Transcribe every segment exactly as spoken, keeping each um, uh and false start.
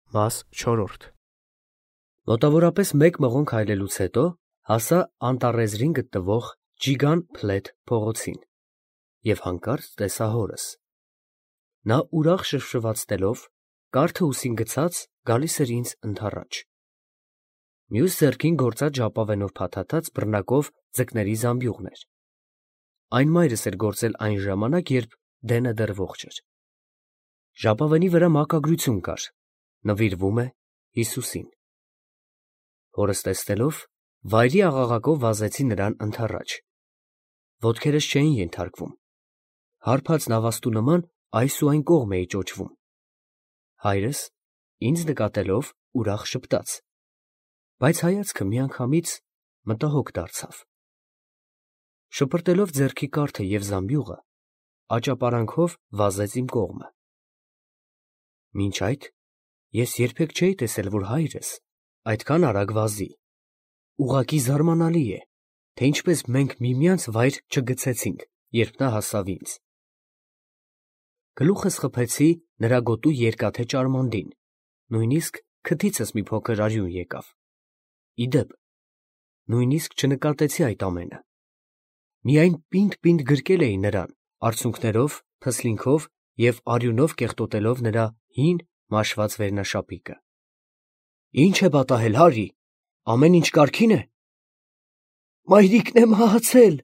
Մաս չորրորդ Մոտավորապես մեկ մղոն քայլելուց հետո հասա անտառեզրին գտնվող Ջիգան Փլեթ փողոցին և հանկարծ տեսա հորս. նա ուրախ շվշվացնելով, կարդը ուսին գցած, գալիս էր ինձ ընդառաջ. մյուս ձեռքին գործած ժապավենով փաթաթած բռնակով ձկների զամբյուղն էր. այն մայրս էր գործել այն ժամանակ, երբ Դենը դեռ ողջ էր. ժապավենի վրա մակագրություն կար. նվիրվում է Հիսուսին. հորս տեսնելով, վայրի աղաղակով վազեցի նրան ընդառաջ. ոտքերս չէին ենթարկվում, հարբած նավաստու նման այս ու այն կողմ էի ճոճվում. հայրս, ինձ նկատելով, ուրախ ժպտաց, բայց հայացքը միանգամից մտահոգ դարձավ. շպրտելով ձեռքի կարդը և զամբյուղը, աճապարանքով վազեց իմ կողմը. մինչ այդ ես երբեք չէի տեսել, որ հայրս այդքան արագ վազի. ուղղակի զարմանալի է, թե ինչպես մենք միմյանց վայր չգցեցինք, երբ նա հասավ ինձ. գլուխս խփեցի նրա գոտու երկաթե ճարմանդին, նույնիսկ քթիցս մի փոքր արյուն եկավ. ի դեպ, նույնիսկ չնկատեցի այդ ամենը. միայն պինդ֊պինդ գրկել էի նրան, արցունքներով, փսլինքով և արյունով կեղտոտելով նրա հին, մաշված վերնաշապիկը. Ի՞նչ է պատահել, Հարի, ամեն ինչ կարգի՞ն է։ Մայրիկն է մահացել,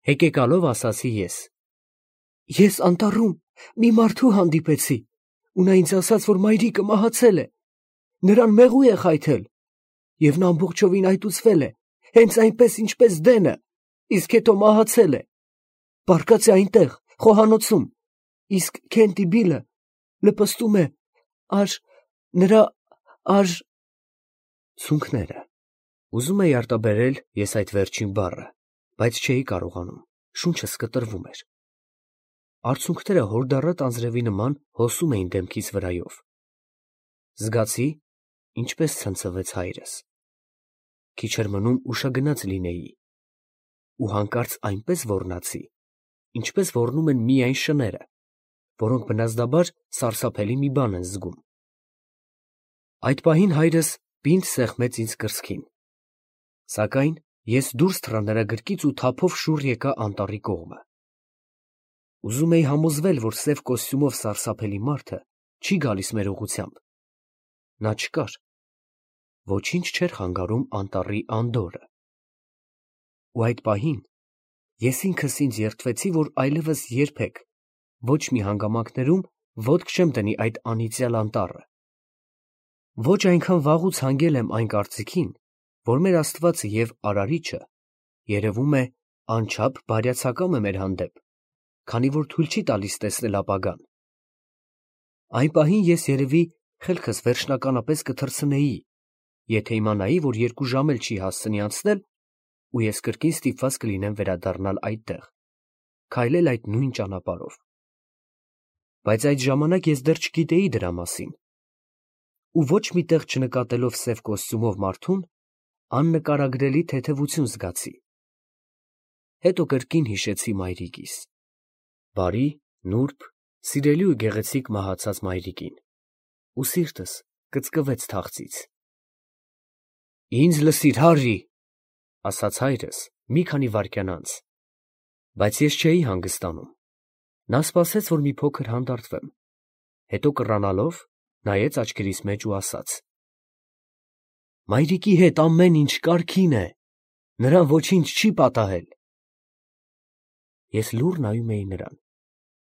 հեկեկալով ասացի ես. ես անտառում մի մարդու հանդիպեցի, ու նա ինձ ասաց, որ մայրիկը մահացել է, նրան մեղու է խայթել, և նա ամբողջովին այտուցվել է, հենց այնպես, ինչպես Դենը, իսկ հետո մահացել է, բարկած է այնտեղ, խոհանոցում, իսկ Քենտի Բիլը լպստում է ար, նրա ար… Ցունքները, ուզում էի արտաբերել ես այդ վերջին բառը, բայց չէի կարողանում, շունչս կտրվում էր. արցունքները հորդառատ անձրևի նման հոսում էին դեմքիս վրայով. զգացի, ինչպես ցնցվեց հայրս. քիչ էր մնում ուշագնաց լինեի, ու հանկարծ այնպես ոռնացի, ինչպես ոռնում են միայն շները, որոնք բնազդաբար սարսափելի մի բան են զգում. այդ պահին հայրս պինդ սեղմեց ինձ կրծքին, սակայն ես դուրս թռա նրա գրկից ու թափով շուռ եկա անտառի կողմը. ուզում էի համոզվել, որ սև կոստյումով սարսափելի մարդը չի գալիս մեր ուղղությամբ, նա չկար, ոչինչ չէր խանգարում անտառի անդորրը, ու այդ պահին ես ինքս ինձ երդվեցի, որ այլևս երբեք, ոչ մի հանգամանքներում ոտք չեմ դնի այդ անիծյալ անտառը. ոչ այնքան վաղուց հանգել եմ այն կարծիքին, որ մեր Աստվածը և Արարիչը, երևում է, անչափ բարյացակամ է մեր հանդեպ, քանի որ թույլ չի տալիս տեսնել ապագան. այն պահին ես երևի խելքս վերջնականապես կթռցնեի, եթե իմանայի, որ երկու ժամ էլ չի հասցնի անցնել, ու ես կրկին ստիպված կլինեմ վերադառնալ այդտեղ, քայլել այդ նույն ճանապարհով. բայց այդ ժամանակ ես դեռ չգիտեի դրա մասին, ու ոչ մի տեղ չնկատելով սև կոստյումով մարդուն, աննկարագրելի թեթևություն զգացի. հետո կրկին հիշեցի մայրիկիս, բարի, նուրբ, սիրելի ու գեղեցիկ մահացած մայրիկին, ու սիրտս կծկվեց թախծից. ինձ լսիր, Հարի, ասաց հայրս մի քանի վայրկյան անց, բայց ես չէի հանգստանում. նա սպասեց, որ մի փոքր հանդարտվեմ, հետո կռանալով նայեց աչքերիս մեջ ու ասաց. մայրիկի հետ ամեն ինչ կարգին է, նրան ոչինչ չի պատահել։ Ես լուռ նայում էի նրան,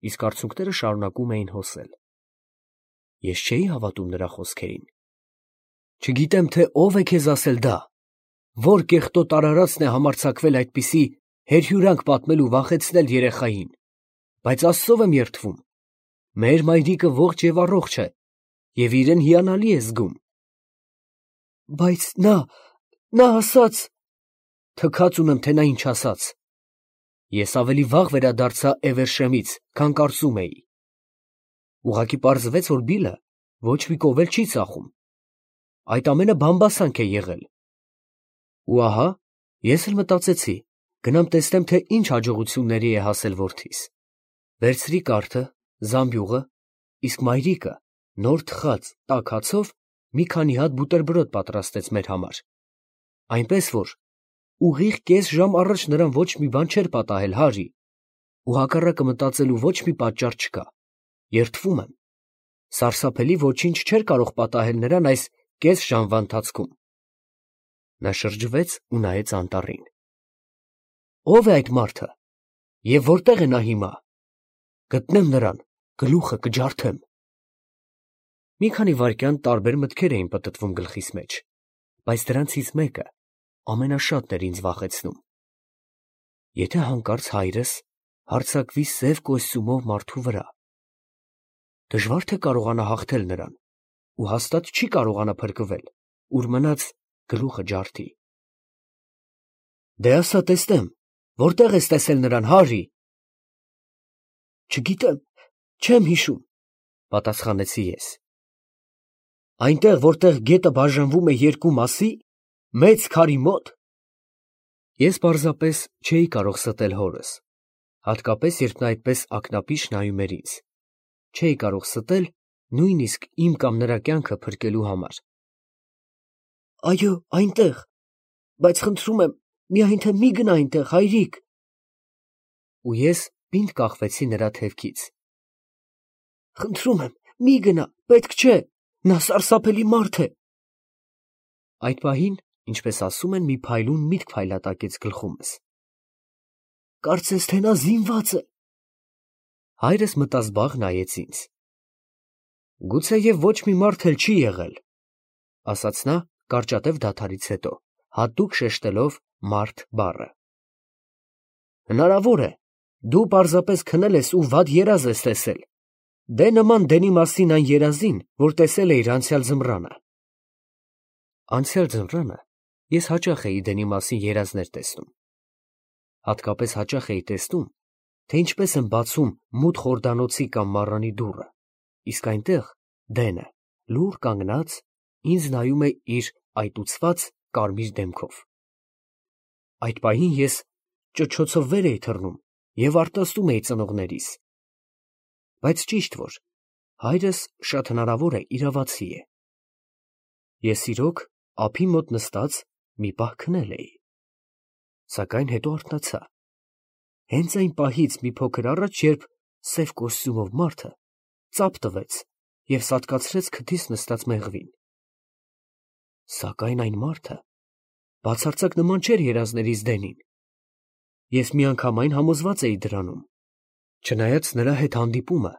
իսկ արցունքները շարունակում էին հոսել. ես չէի հավատում նրա խոսքերին. չգիտեմ, թե ով է քեզ ասել դա, որ կեղտոտ արարածն է համարձակվել այդպիսի հերհյուրանք պատմել ու վախեցնել երեխային, բայց Աստծով եմ երդվում, մեր մայրիկը ողջ և առողջ է, և իրեն հիանալի է զգում։ Բայց նա, նա ասաց… թքած ունեմ, թե նա ինչ ասաց. ես ավելի վաղ վերադարձա Էվերշեմից, քան կարծում էի. ուղղակի պարզվեց, որ Բիլը ոչ մի կով էլ չի ծախում, այդ ամենը բամբասանք է եղել, ու ահա, ես էլ մտածեցի, գնամ տեսնեմ, թե ինչ հաջողությունների է հասել որդիս, վերցրի կարդը, զամբյուղը, իսկ մայրիկը նոր թխած տաք հացով մի քանի հատ բուտերբրոդ պատրաստեց մեր համար, այնպես որ ուղիղ կես ժամ առաջ նրան ոչ մի բան չէր պատահել, Հարի, ու հակառակը մտածելու ոչ մի պատճառ չկա, երդվում եմ, սարսափելի ոչինչ չէր կարող պատահել նրան այս կես ժամվա ընթացքում։ Նա շրջվեց ու նայեց անտառին։ Ո՞վ է այդ մարդը և որտե՞ղ է նա հիմա։ Գտնեմ նրան, գլուխը կջարդեմ։ Մի քանի վայրկյան տարբեր մտքեր էին պտտվում գլխիս մեջ, բայց դրանցից մեկը ամենաշատն էր ինձ վախեցնում։ Եթե հանկարծ հայրս հարձակվի սև կոստյումով մարդու վրա, դժվար թե կարողանա հաղթել նրան, ու հաստատ չի կարողանա փրկվել, ուր մնաց գլուխը ջարդի։ Դե ասա տեսնեմ, որտե՞ղ ես տեսել նրան, Հարի։ Չգիտեմ, չեմ հիշում, պատասխանեցի ես։ Այնտեղ, որտեղ գետը բաժանվում է երկու մասի, մեծ քարի մոտ։ Ես պարզապես չէի կարող ստել հորս, հատկապես երբ նա այդպես ակնապիշ նայում էր ինձ, չէի կարող ստել նույնիսկ իմ կամ նրա կյանքը փրկելու համար։ Այո, այնտեղ, բայց խնդրում եմ, միայն թե մի գնա այնտեղ, հայրիկ։ Ու ես պինդ կախվեցի նրա թևքից։ Խնդրում եմ, մի գնա, պետք չէ, նա սարսափելի մարդ է։ Այդ պահին, ինչպես ասում են, մի փայլուն միտք փայլատակեց գլխումս։ Կարծես թե նա զինված է։ Հայրս մտազբաղ նայեց ինձ։ Գուցեև ոչ մի մարդ էլ չի եղել, ասաց նա կարճատև դադարից հետո, հատուկ շեշտելով մարդ բառը։ Հնարավոր է, դու պարզապես քնել ես ու վատ երազ ես տեսել, դե նման դենի մասին այն երազին, որ տեսել էիր անցյալ ձմռանը։ Անցյալ ձմռանը ես հաճախ էի դենի մասին երազներ տեսնում։ Հատկապես հաճախ էի տեսնում, թե ինչպես են բացում մութ խորդանոցի կամ մառանի դուռը, իսկ այնտեղ դենը, լուռ կանգնած, ինձ նայում է իր այտուցված կարմիր դեմքով։ Այդ պահին ես ճչոցով վեր էի թռնում և արտասում էի ծնողներիս։ Բայց ճիշտ որ, հայրս շատ հնարավոր է իրավացի է։ Ես իրոք ափի մոտ նստած մի պահ քնել էի, սակայն հետո արթնացա։ Հենց այն պահից մի փոքր առաջ, երբ սև կոստյումով մարդը ծափ տվեց և սատկացրեց քթիս նստած մեղվին։ Սակայն այն մարդը բացարձակ նման չէր երազներից դենին։ Ես միանգամայն համոզված էի դրանում, չնայած նրա հետ հանդիպումը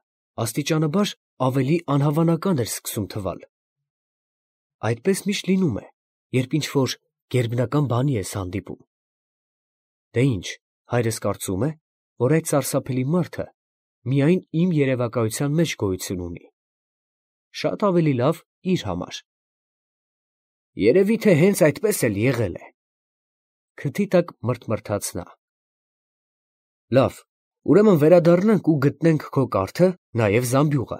աստիճանաբար ավելի անհավանական էր սկսում թվալ։ Այդպես միշտ լինում է, երբ ինչ-որ գերբնական բանի ես հանդիպում։ Դե ինչ, հայրս կարծում է, որ այդ սարսափելի մարդը միայն իմ երևակայության մեջ գոյություն ունի։ Շատ ավելի լավ իր համար։ Երևի թե հենց այդպես էլ եղել է։ Քթի տակ մրթմրթաց նա։ Լավ, ուրեմն վերադառնանք ու գտնենք քո կարթը, նաև զամբյուղը։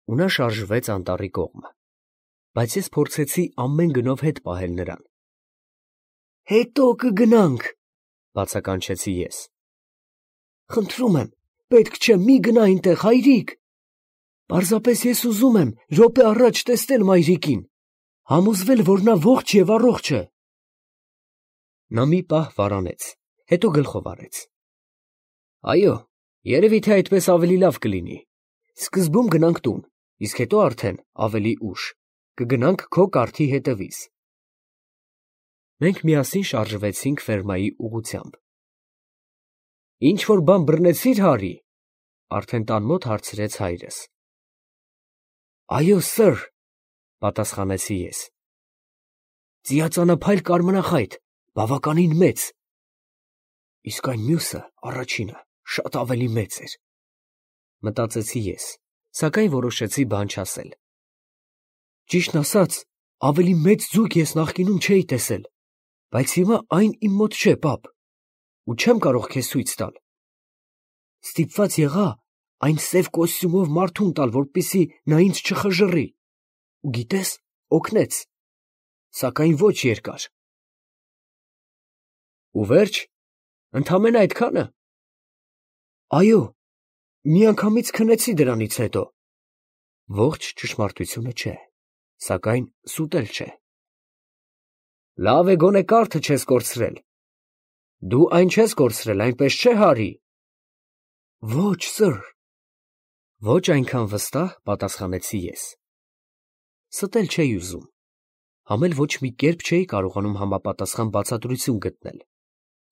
Ու նա շարժվեց անտառի կողմը, բայց ես փորձեցի ամեն գնով հետ պահել նրան։ Հետո կգնանք, բացականչեցի ես։ Խնդրում եմ, պետք չէ, մի գնա այնտեղ, հայրիկ։ Պարզապես ես ուզում եմ րոպե առաջ տեսնել մայրիկին, համոզվել, որ նա ողջ և առողջ է։ Նա մի պահ վարանեց, հետո գլխով արեց։ Այո, երևի թե այդպես ավելի լավ կլինի։ Սկզբում գնանք տուն, իսկ հետո արդեն ավելի ուշ կգնանք քո կարթի հետևից։ Մենք միասին շարժվեցինք ֆերմայի ուղղությամբ։ Ինչ-որ բան բռնեցի՞ր, Հարի, արդեն տան մոտ հարցրեց հայրս։ Այո, սըր, պատասխանեցի ես։ Ծիածանափայլ կարմրախայտ, բավականին մեծ։ Իսկ այն մյուսը, առաջինը, շատ ավելի մեծ էր։ Մտածեցի ես, սակայն որոշեցի բան չասել։ Ճիշտն ասած, ավելի մեծ ձուկ ես նախկինում չէի տեսել, բայց հիմա այն իմ մոտ չէ, պապ, ու չեմ կարող քեզ ցույց տալ։ Ստիպված եղա այն սև կոստյումով մարդուն տալ, որպեսզի նա ինձ չխժռի, ու գիտես, օգնեց, սակայն ոչ երկար։ Ու վերջ, ընդամենը այդքա՞նը։ Այո, միանգամից քնեցի դրանից հետո։ Ողջ ճշմարտությունը չէ, սակայն սուտ էլ չէ։ Լավ է գոնե կարթը չես կորցրել։ Դու այն չես կորցրել, այնպես չէ, Հարի։ Ոչ, սըր։ Ոչ այնքան վստահ, պատասխանեցի ես։ Ստել չէի ուզում, համ էլ ոչ մի կերպ չէի կարողանում համապատասխան բացատրություն գտնել,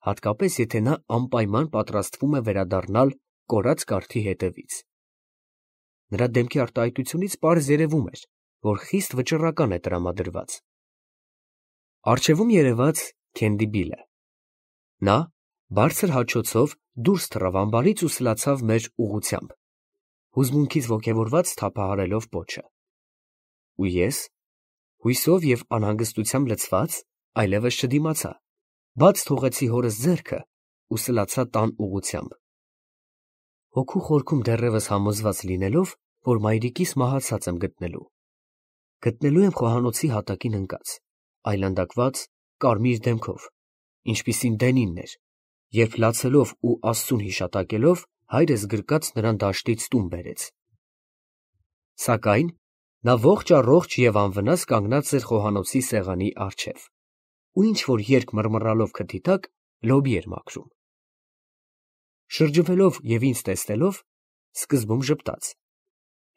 հատկապես եթե նա անպայման պատրաստվում է վերադառնալ կորած կարթի հետևից։ Նրա դեմքի արտահայտությունից պարզ երևում էր, որ խիստ վճռական է տրամադրված։ Առջևում երևաց Քենդի Բիլը։ Նա բարձր հաչոցով դուրս թռավ ամբարից ու սլացավ մեր ուղղությամբ, հուզմունքից ոգևորված թափահարելով պոչը։ Ու ես, հույսով և անհանգստությամբ լցված, այլևս չդիմացա, բաց թողեցի հորս ձեռքը ու սլացա տան ուղղությամբ։ Հոգու խորքում դեռևս համոզված լինելով, որ մայրիկիս մահացած եմ գտնելու։ Գտնելու եմ խոհանոցի հատակին ընկած, այլանդակված կարմիր դեմքով, ինչպիսին Դենինն էր, երբ լացելով ու Աստծուն հիշատակելով հայրս գրկած նրան դաշտից տուն բերեց։ Սակայն նա ողջ առողջ և անվնաս կանգնած էր խոհանոցի սեղանի առջև ու ինչ-որ երգ մռմռալով քթի տակ լոբի էր մաքրում։ Շրջվելով և ինձ տեսնելով, սկզբում ժպտաց,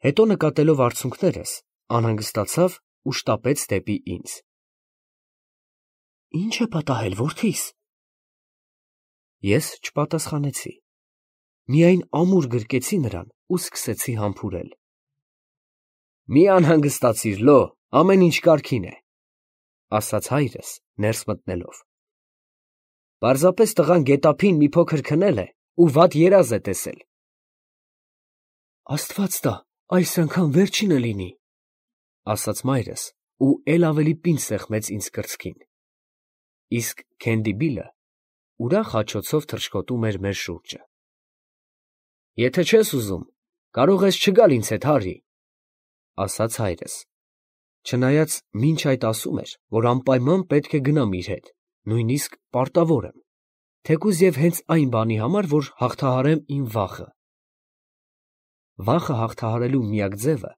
հետո նկատելով արցունքներս, անհանգստացավ ու շտապեց դեպի ինձ։ Ի՞նչ է պատահել, որդիս։ Ես չպատասխանեցի, միայն ամուր գրկեցի նրան ու սկսեցի համբուրել։ Մի անհանգստացիր, Լո, ամեն ինչ կարգին է, ասաց հայրս ներս մտնելով։ Պարզապես տղան գետափին մի փոքր քնել է ու վատ երազ է տեսել։ Աստված տա, այս անգամ վերջինը լինի, ասաց մայրս ու էլ ավելի պինդ սեղմեց ինձ կրծքին։ Իսկ Քենդի Բիլը ուրախ հաչոցով թռչկոտում էր մեր շուրջը։ Եթե չես ուզում, կարող ես չգալ ինձ հետ, Հարի, ասաց հայրս, չնայած մինչ այդ ասում էր, որ անպայման պետք է գնամ իր հետ, նույնիսկ պարտավոր եմ, թեկուզ և հենց այն բանի համար, որ հաղթահարեմ իմ վախը։ Վախը հաղթահարելու միակ ձևը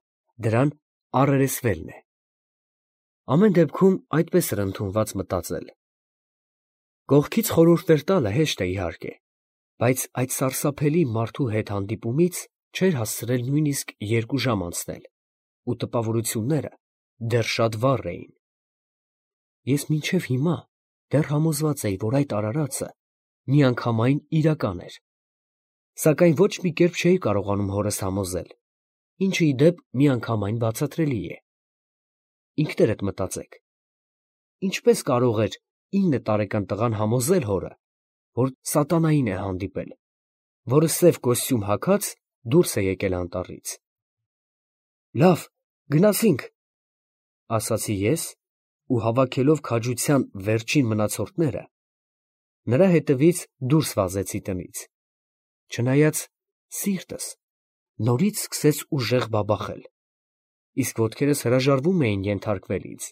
դրան առերեսվելն է։ Ամեն դեպքում այդպես էր ընդունված մտածել։ Կողքից խորհուրդներ տալը հեշտ է իհարկե, բայց այդ սարսափելի մարդու հետ հանդիպումից չէր հասցրել նույնիսկ երկու ժամ անցնել, ու տպավորությունները դեռ շատ վառ էին։ Ես մինչև հիմա դեռ համոզված էի, որ այդ արարածը միանգամայն իրական էր, սակայն ոչ մի կերպ չէի կարողանում հորս համոզել, ինչը ի դեպ միանգամայն բացատրելի է։ Ինքներդ մտածեք, ինչպես կարող էր ինը տարեկան տղան համոզել հորը, որ սատանային է հանդիպել, որը սև կոստյում հագած դուրս է եկել անտառից։ Լավ, գնացինք, ասացի ես ու հավաքելով քաջության վերջին մնացորդները, նրա հետևից դուրս վազեցի տնից, չնայած սիրտս նորից սկսեց ուժեղ բաբախել, իսկ ոտքերս հրաժարվում էին ենթարկվել ինձ։